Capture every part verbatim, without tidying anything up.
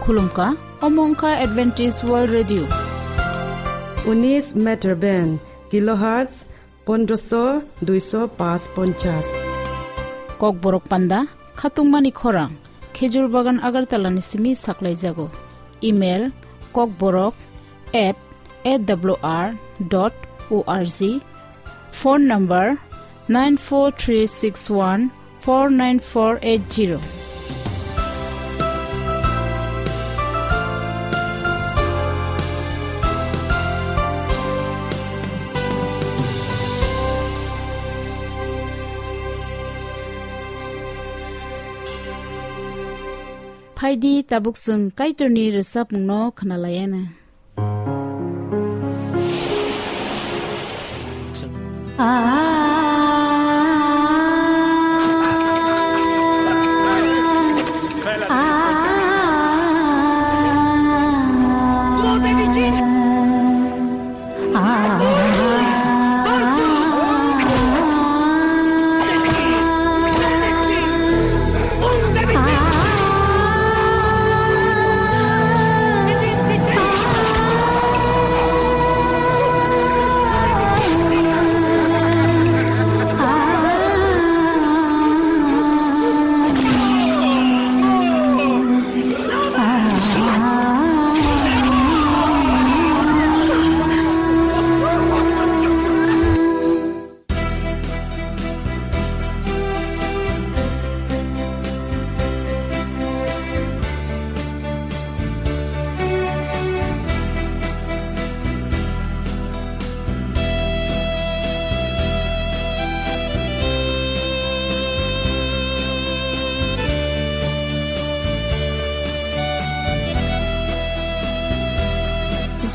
Khulumkha, omo wngkha Adventist World Radio. Unis meter band, kilohertz pondroso duiso pas ponchas. Kokborok panda, khatungmani khorang, Khejur Bagan Agartala ni simi saklaijago. Email, kokborok at A W R dot O R G. Phone number, nine four three six one four nine four eight zero. Phaidi, tabuk chwng Kaitorni rwchapmungno khwnalaiana.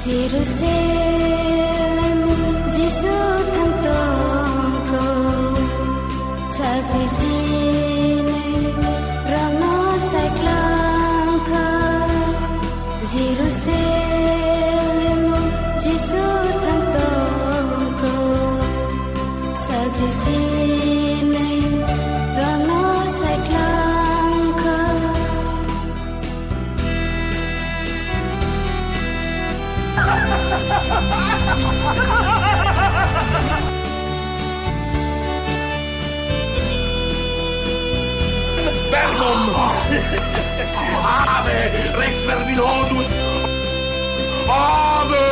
Jerusalem, Jisu thang tong phro, chakri chinai rangno sai klang kha. Jerusalem, Jisu thang tong phro, chakri chinai rangno sai klang kha. Verbum! Ave, Rex Verbinosus! Ave!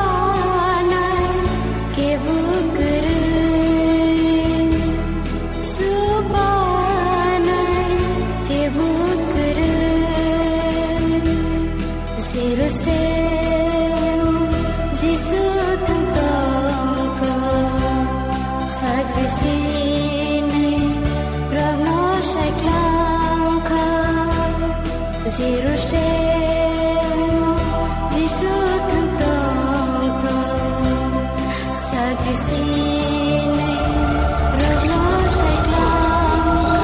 Subanai kebo kwrwi, subanai kebo kwrwi. Jerusalem, Jisu thang tong phro, sakri chinai rokno sai klang kha. Jerusalem, Jisu thang tong phro, sakri chinai rokno sai klang kha.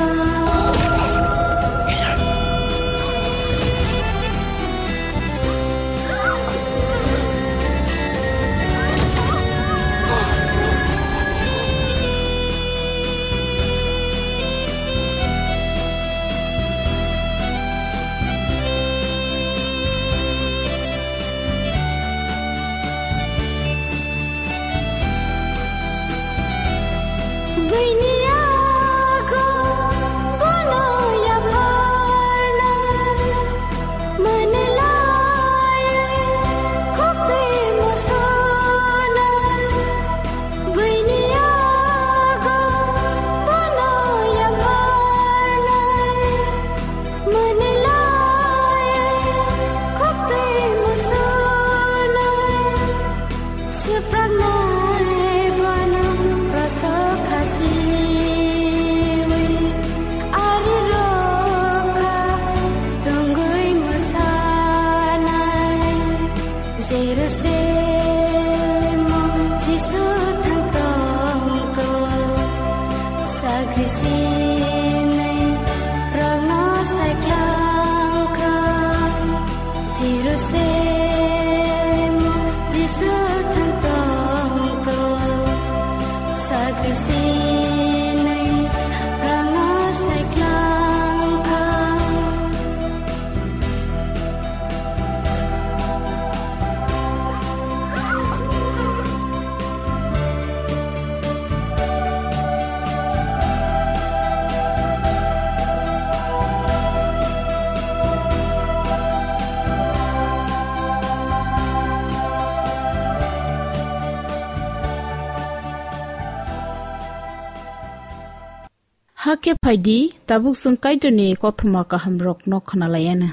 Hakhe phaidi, tabuk chwng Kaitorni kothoma kahamrokno khwnalaianw.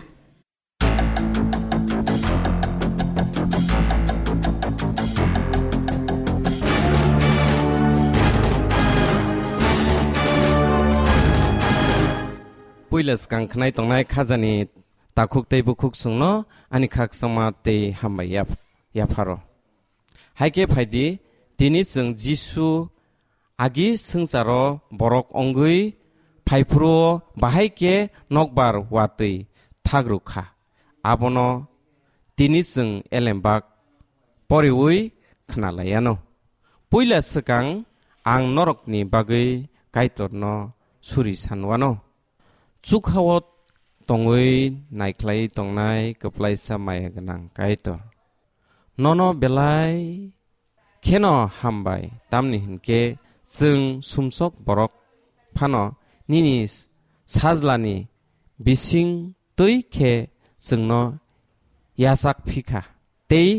Puila swkang khnai tongnai khajani takhuk tei bukhuk chwngno ani khakchangma tei hambai yap-, yapharo. Hai khe phaidi, tini chwng Jisu agi swngcharo borok wngwi phaiphuru-o bahai khe nokbar watwi thak rw kha. Abono tini chwng elembak poriui khna lai anw. Puila swkang ang norokni bagwi Kaitorno suri san anw. Chukha-o tongwi naikhlai tongnai kwplaisa maya gwnang Kaitor, nono belai kheno hambai, tamni hwn khe chwng sumsok borok phano nini sajlani bising twi khe chwngno yachak phi kha, tei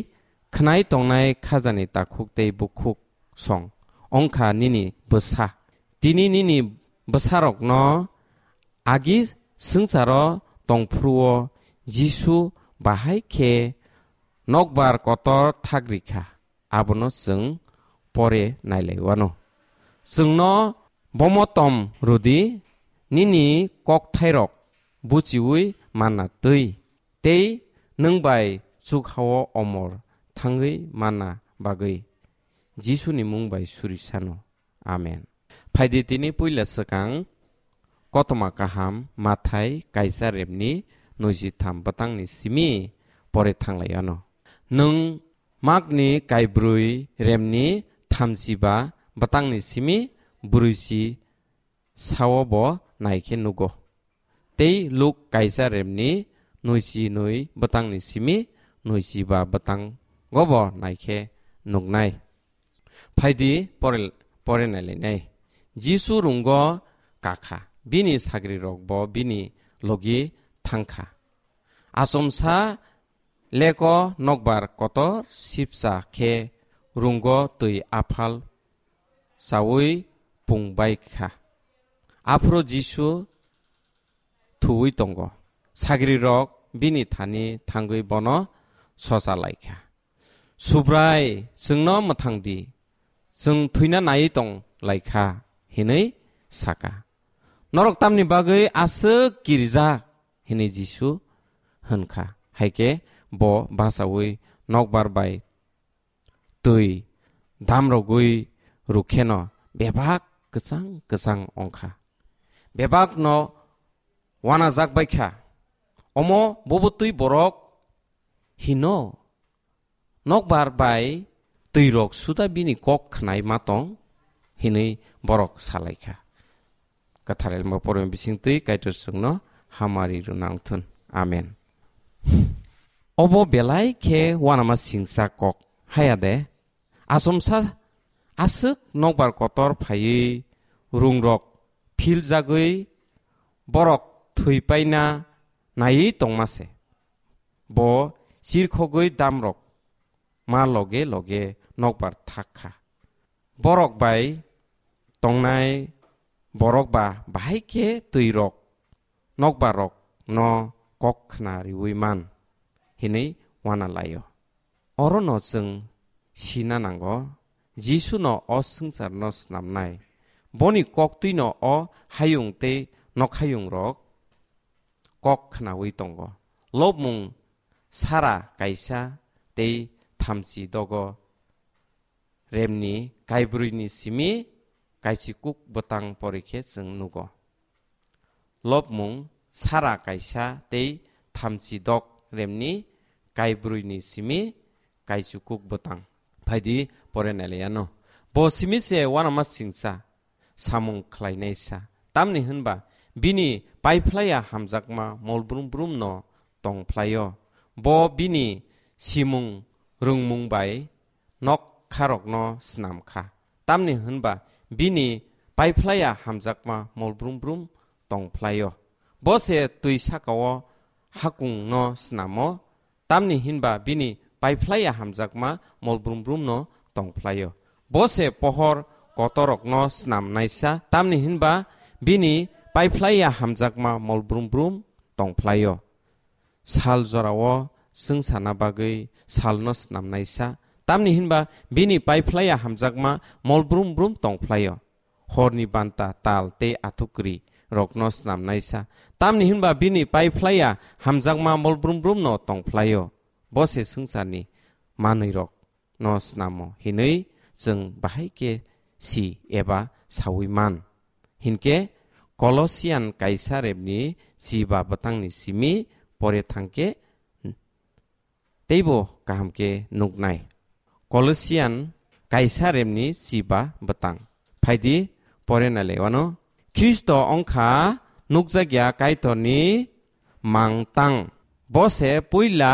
khnai tongnai khajani takhuk tei bukhuk song wng kha nini bwsa. Tini nini bwsarokno agi swngcharo tongphuru-o Jisu bahai khe nokbar kotor thak rikha, abono chwng pore nailai anw. Chwngno bomotom rwdi, nini kokthairok buchiui manna twi, tei nwng bai chukha-o omor thangwi manna bagwi. Jisuni mung bai suri sanw. Amen. Phaidi tini puila swkang Kothoma Kaham Mathai kaisa remni nwiji tham bwtangni simi pore thanglai anw. Nwng Makni kaibrwi remni thamchiba bwtangni simi brwichi sao bo naikhe nugo. Tei Luk kaisa remni nwiji nwi bwtangni simi nwiji ba bwtango bo naikhe nuknai. Phaidi pore, pore nailainai. Jisu rungo kakha, bini sagrirok bo bini logi thangkha. Achomsa leko nokbar kotor sipsa khe rungo twi aphal chaui pung bai kha. Aphuru Jisu thuwi tongo. Sagrirok bini thani thangwi bono socha lai kha. "Subrai, chwngno mwthang di, chwng thwina nai tong lai kha," hinwi sa kha. "Norok tamni bagwi aswk kirijak?" hinwi Jisu hwn kha. Hai khe bo bachaui nokbar bai twi damrogwi rw kheno bebak kwchang kwchang wng kha. Bebakno uanajak bai kha. "Omo bobo twi borok hino? Nokbar bai twirok suda bini kok khnai ma tong?" hinwi borok sa lai kha. Kwthar Elma porima bising twi Kaitor chwngno hamari rw nang thun. Amen. Obo belai khe uanama singcha kok, haya de? Achomsa aswk nokbar kotor phaiwi rungrok philjagwi borok thwi paina naiwi tongma se. Bo chirkhogwi damrok ma loge loge nokbar thak kha. Borok bai tongnai borok ba bahai khe twirok nokbarrokno kok khna riui man hinwi uana lai-o. Orono chwng sina nango, Jisuno o swngcharno snamnai, boni koktwino o hayung tei nokhayungrok kok khnaui tongo. Lobmung sara kaisa tei thamchi dogo remni kaibrwini simi kaichikuk bwtang porikhe chwng nugo. Lobmung sara kaisa tei thamchi dok remni kaibrwini simi kaichikuk bwtang. Phaidi pore nailaiano. Bo simi se uanama singcha samung khlainaisa. Tamni hwnba bini paiphlaiya hamjakma molbrum brumno tongphlaio. Bo bini simung rwngmung bai noktharokno snam kha. Tamni hwnba bini paiphlaiya hamjakma molbrum brum tongphlaio. Bo se twi sakao hakungno snamo, tamni hwnba bini paiphlaiya hamjakma molbrum brumno tongphlaio. Bo se pohor kotorokno snamnaisa, tamni hwnba Bini paiphlaiya hamjakma mol brum brum tongphlaio. Sal jorao swngcharna bagwi salno snamnaisa. Tamni hinba bini paiphlaiya hamjakma mol brum brum tongphlaio. Horni banta, tal tei athukri rokno snamnaisa. Tamni hinba bini paiphlaiya hamjakma mol brum brumno tongphlaio. Bo se swngcharni manwirok no snamo hinwi chwng bahai khe si eba saui man. Hinkhe Kolosian kaisa rebni chiba bwtangni simi pore thangkhe teibo kaham khe nuknai. Kolosian kaisa rebni chiba bwtang. Phaidi pore nale wano. Khristo ongkha nukjakya Kaitorni mangtang. Bo se puila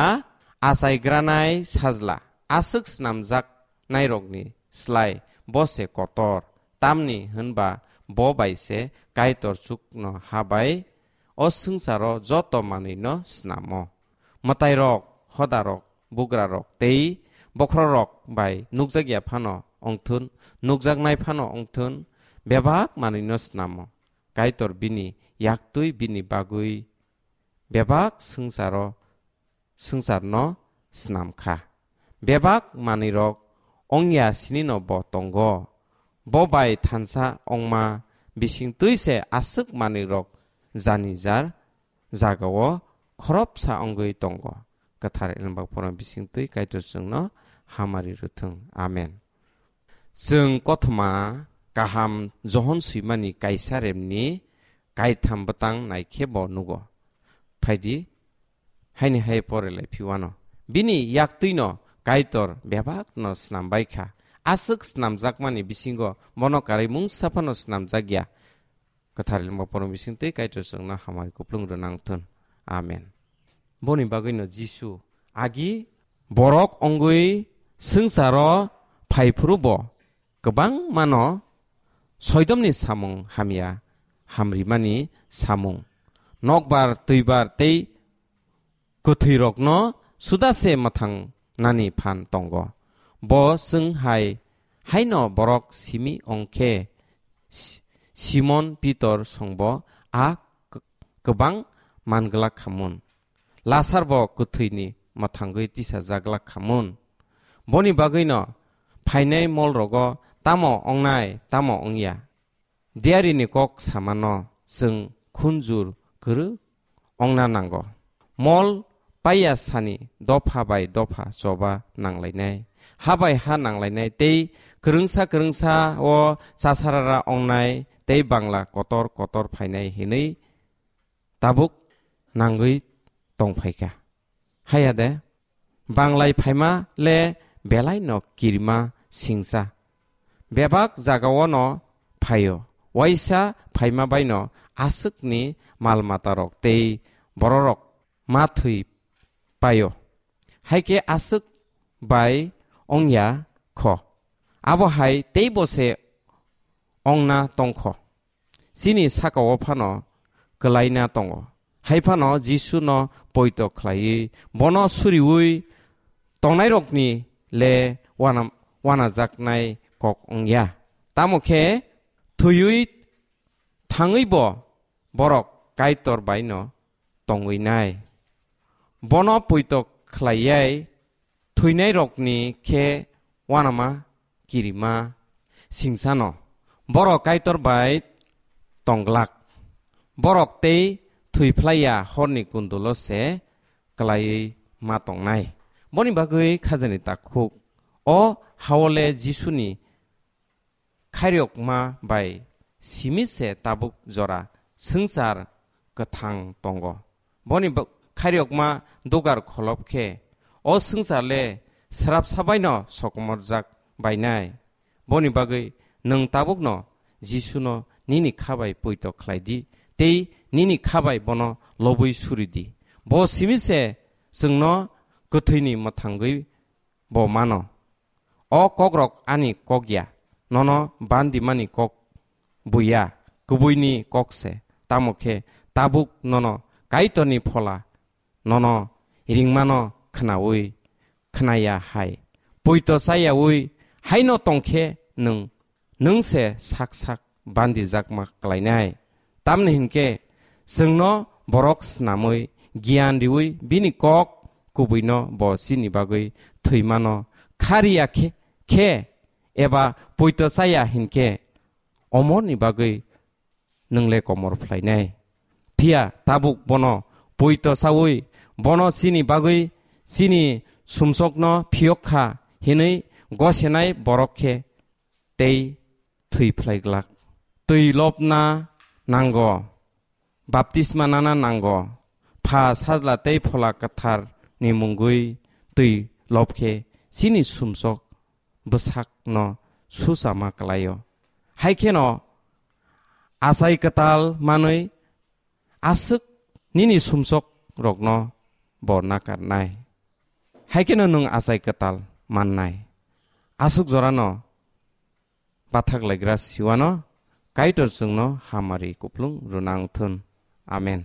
achaigranai sajla, aswk snamjak nairokni slai bo se kotor, tamni hwnba bo bai se Kaitor chukno ha bai o swngcharo joto manwino snamo. Mwtairok, hodarok, bugrarok tei bokhororok bai nukjakya phano wngthun, nukjaknai phano wngthun, bebak manwino snamo. Kaitor bini yaktwi bini bagwi bebak swngcharo swngcharno snam kha. Bebak manwirok ongya sinino bo tongo. Bo bai thansa ongma bisingtwi se aswk manwirok jani jar jagao khoroksa ongwi tongo. Kwthar Elembak Phorong bisingtwi Kaitor chwngno hamari rwthwng. Amen. Chwng kothoma kaham Johon swimani kaisa remni kaitham bwtang naikhe bo nugo. Phaidi, haini hai pore lai phiwano. Bini yaktwino Kaitor bebakno snambai kha. Aswk snamjakmani bisingo bono karwi mungsa phano snamjakya. Kwthar Elembak Phorong bisingtwi Kaitor chwngno hamari kuplung rwnang thun. Amen. Boni bagwino Jisu agi borok ongwi swngcharo phaiphuru bo kwbangmano soidomni samung hamya hamrimani samung, nokbar, twibar tei kwthwirokno suda se mwthang nani phan tongo. Bo chwng hai haino borok simi ongkhe Si-, Simon Pitor songbo a k-, kwbang manglak khamun. Lasarbo kwthwini mwthangwi tisajaglak khamun. Boni bagwino phainai molrogo tamo ongnai, tamo ongya. Diarini kok samano chwng khunjur kwrwk ongna nango. Mol paiya sani dopha bai dopha choba nanglainai, ha bai ha nanglainai tei kwrwngsa kwrwngsa o chasarara ongnai tei bangla kotor kotor phainai hinwi tabuk nangwi tongphaikha. Haya de, banglai phaima le belai no kirima singsa. Bebak jagao no phaio, waisa phaima bai no aswkni mal matarok tei bororok ma thwi paio. Haikhe aswk bai ongya kho. Abo hai teibo se ongna tongkho. Chini sakao phano kwlaina tongo. Hai phano Jisuno poito khlaiwi bono suriui tongnairokni le wana-, wanajaknai kok wngya. Tamo khe thwiwi thangwibo borok Kaitor baino tongwi nai. Bono poito khlaiyai thwinairokni khe wanama kirima singsano. Borok Kaitor bai tongglak. Borok tei thwiphlaiya horni kundulo se kwlaiwi ma tongnai. Boni bagwi khajani takhuk. O hao le Jisuni khairokma bai simi se tabuk jora swngchar kwthang tongo. Boni bo-, khairokma dugar kholop khe o swngchar le srapsa baino sokomorjak bainai. Boni bagwi nwng tabukno Jisuno nini kha bai poito khlai di tei nini kha bai bono lobwi suri di. Bo simi se chwngno kwthwini mwthangwi bo mano. O kokrok ani kok ya, nono bandimani kok buya, kubuini kok se. Tamo khe tabuk nono Kaitorni phola, nono ringmano khnaui khnaya hai. Poito chayaui haino tongkhe nwng, nwng se sak sak bandijakma klainai. Tamni hinkhe chwngno borok snamwi, giyan riwi bini kok kubuino bo chini bagwi thwimano khariya khe, khe eba poito chaya hinkhe omorni bagwi nwng le komor phlainai. Phiya tabuk bono poito chaui bono chini bagwi chini sumsokno phiyok kha hinwi gosenai borok khe tei thwi phlai glak. Twi lobna nango, baptisma nana nango, Pha, Sajla tei Phola Kwthar ni mungwi twi lob khe chini sumsok bwsakno suchama kwlaio. Hai kheno achai kwtal manwi aswk nini sumsok rokno bo nakarnai. Hai kheno nwng achai kwtal mannai. Aswk jorano bathak laigra siwano Kaitor chwngno hamari kuplung rwna wngthun. Amen.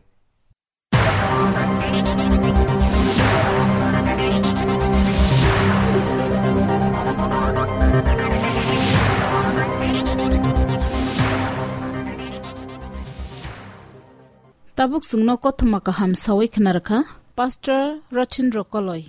Tabuk chwngno kothoma kaham sawi khna rwkha Pastor Rothin Rokoloi.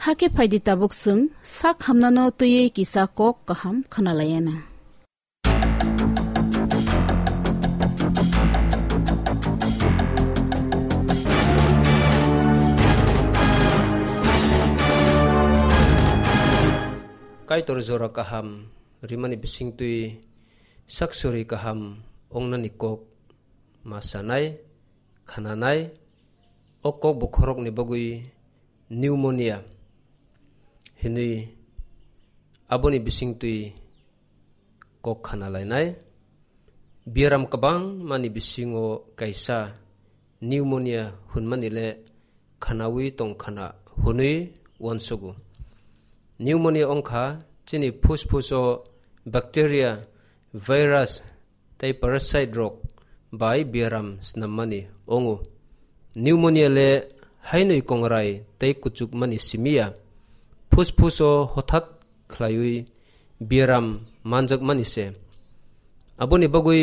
Hakhe phaidi tabuk chwng sak hamnano twiwi kisa kok kaham khwnalaiyana. Kaitor jora kaham rimani bisingtwi sak suri kaham wngnani kok ma sanai, khananai, o kok bokhorokni bagwi pneumonia hinwi aboni bisingtwi kok khana lainai. Biaram kwbangmani bisingo kaisa pneumonia hwnmani le khanaui tong khana hwnwi uansugo. Pneumonia wngkha chini phusphus o bacteria, virus tei parasite rok bai biaram snammani wngo. Pneumonia le hainwi kongrai tei kuchukmani simi ya, phusphus o hothat khlaiwi biaram manjakmani se. Aboni bagwi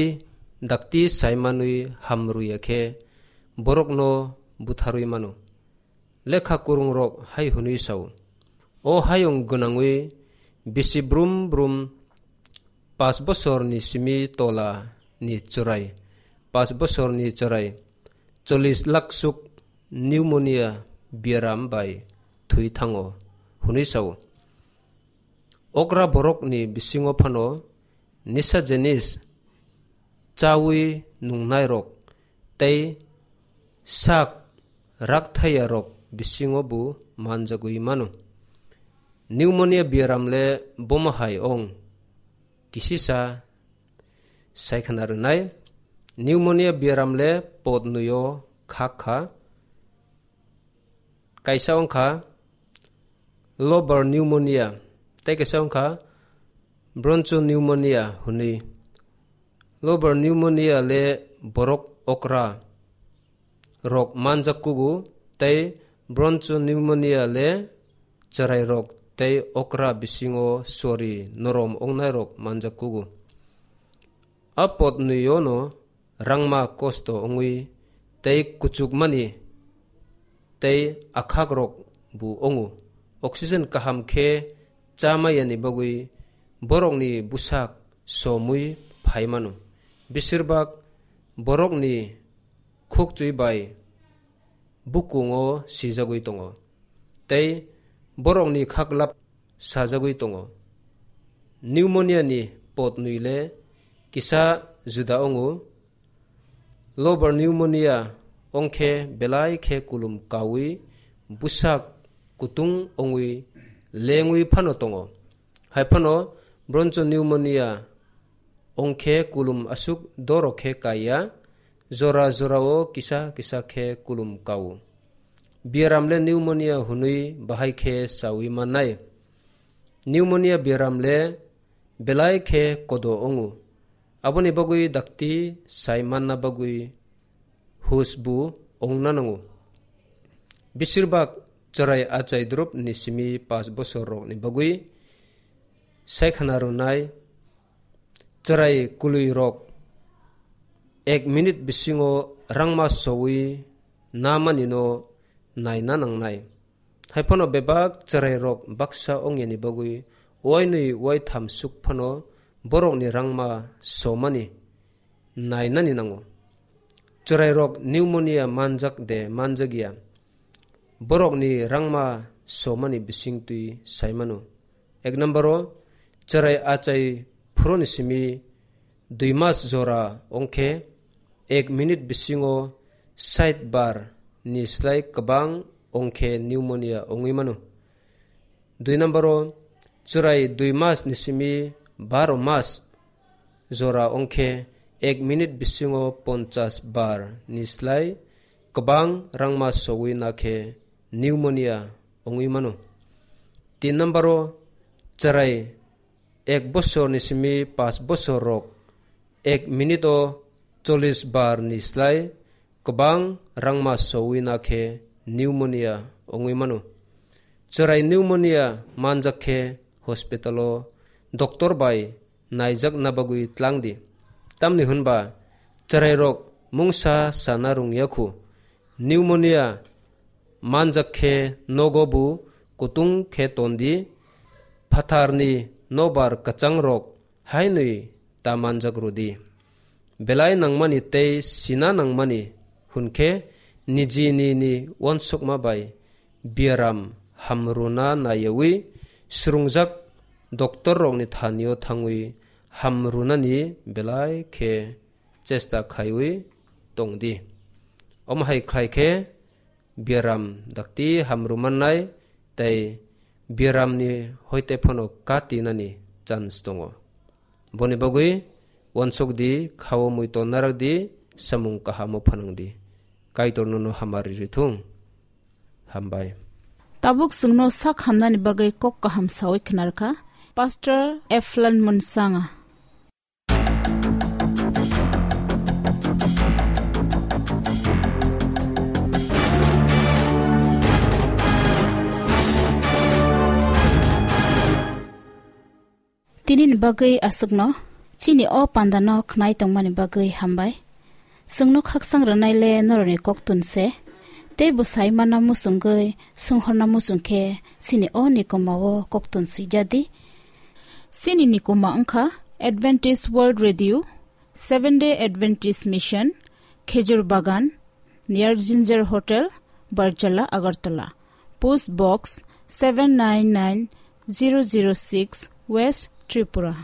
dakti saimanwi hamrwya khe borokno butharwi mano. Lekha kwrwngrok hai hwnwi sao, "O hayung gwnangwi bisi brum brum pas bosorni simi tola ni chwrai, pas bosorni chwrai chollish lakh suk pneumonia biaram bai thwi thango," hwnwi sao. Okra borokni bisingo phano nisa jenis chawi nungnairok tei sak rakthayarok bisingo bo manjagwi mano. Pneumonia biaram le bomo hai ong, kisisa saikhana rwnai. Pneumonia biaram le potnwi o khak kha. Kaisa wngkha lobar pneumonia, tei kaisa wngkha bronchopneumonia hwnwi. Lobar pneumonia le borok okra rok manjak kugo, tei bronchopneumonia le chwrairok tei okra bisingo sori norom wngnairok manjak kugo. A potnwi o no rangma kosto wngwi tei kuchukmani tei akhakrok bo wngo. Oxygen kaham khe cha maiyani bagwi borokni bwsak somwi phai mano. Besirbak borokni khukchwi bai bukungo sijagwi tongo tei borokni khaklap sajagwi tongo. Pneumonia ni potnwi le kisa juda wngo. Lobar pneumonia wngkhe belai khe kulum kaui bwsak kutung wngwi lengwi phano tongo. Hai phano bronchopneumonia wngkhe kulum aswk doro khe kaiya, jora jorao kisa kisa khe kulum kao. Biaram le pneumonia hwnwi bahai khe saui mannai. Pneumonia biaram le belai khe kodo wngo. Aboni bagwi dakti sai manna bagwi hus bo wngna nango. Besirbak chwrai achai drop ni simi pas bosor rok ni bagwi saikhana rwnai chwrai kwlwi rok ek minute bisingo rangma soui namani no naina nangnai. Hai phano bebak chwrai rok baksa wngyani bagwi wainwi waitham suk phano borokni rangma somani nainani nango. Chwrairok pneumonia manjak de manjakya, borokni rangma somani bisingtwi saimano. Ek number o, chwrai achai phuruni simi dui mas jora ongkhe ek minute bisingo sait bar ni slai kwbang ongkhe pneumonia ongwi mano. Dui number o, chwrai dui mas ni simi baro mas jora ongkhe ek minute bisingo ponchas bar ni slai kwbang rangma sogwi nakhe pneumonia ongwi mano. Tin number o, chwrai ek bosor ni simi pas bosor rok ek minute o chollish bar ni slai kwbang rangma soui nakhe pneumonia ongwi mano. Chwrai pneumonia manjak khe hospital o doctor bai naijakna bagwi tlang di. Tamni hwnba chwrairok mungsa sana rwngya khu. Pneumonia manjak khe nogo bo kutung khe ton di, phatharni nobar kwchangrok hainwi ta manjak rw di. Belai nangmani tei sina nangmani hwn khe niji nini uansukma bai biaram hamrwna naiyaui swrwngjak doctor rokni thani-o thangwi hamrwnani belai khe chesta khaiwi tong di. Omo hai khlai khe biaram dakti hamrwmannai tei biaramni hoite phano katinani chance tongo. Boni bagwi uansuk di, khao muiton narak di, samung kahamo phanang di. Kaitor nono hamari rithung. Hambai. Tabuk chwngno sak hamnani bagwi kok kaham sawi khwnarkha Pastor Eflan Munsanga. Tinini bagwi aswkno chini o pandano khwnai tongmani bagwi hambai. Chwngno khaksang rwnai le norokni koktun se, tei bo sai manna muchungwi swnghorna muchung khe chini o nikoma o koktun swijadi. Chini nikoma wngkha Adventist World Radio, Seventh Day Adventist Mission, Khejur Bagan, near Ginger Hotel, Barjala, Agartala. Post Box seven nine nine zero zero six, West Tripura.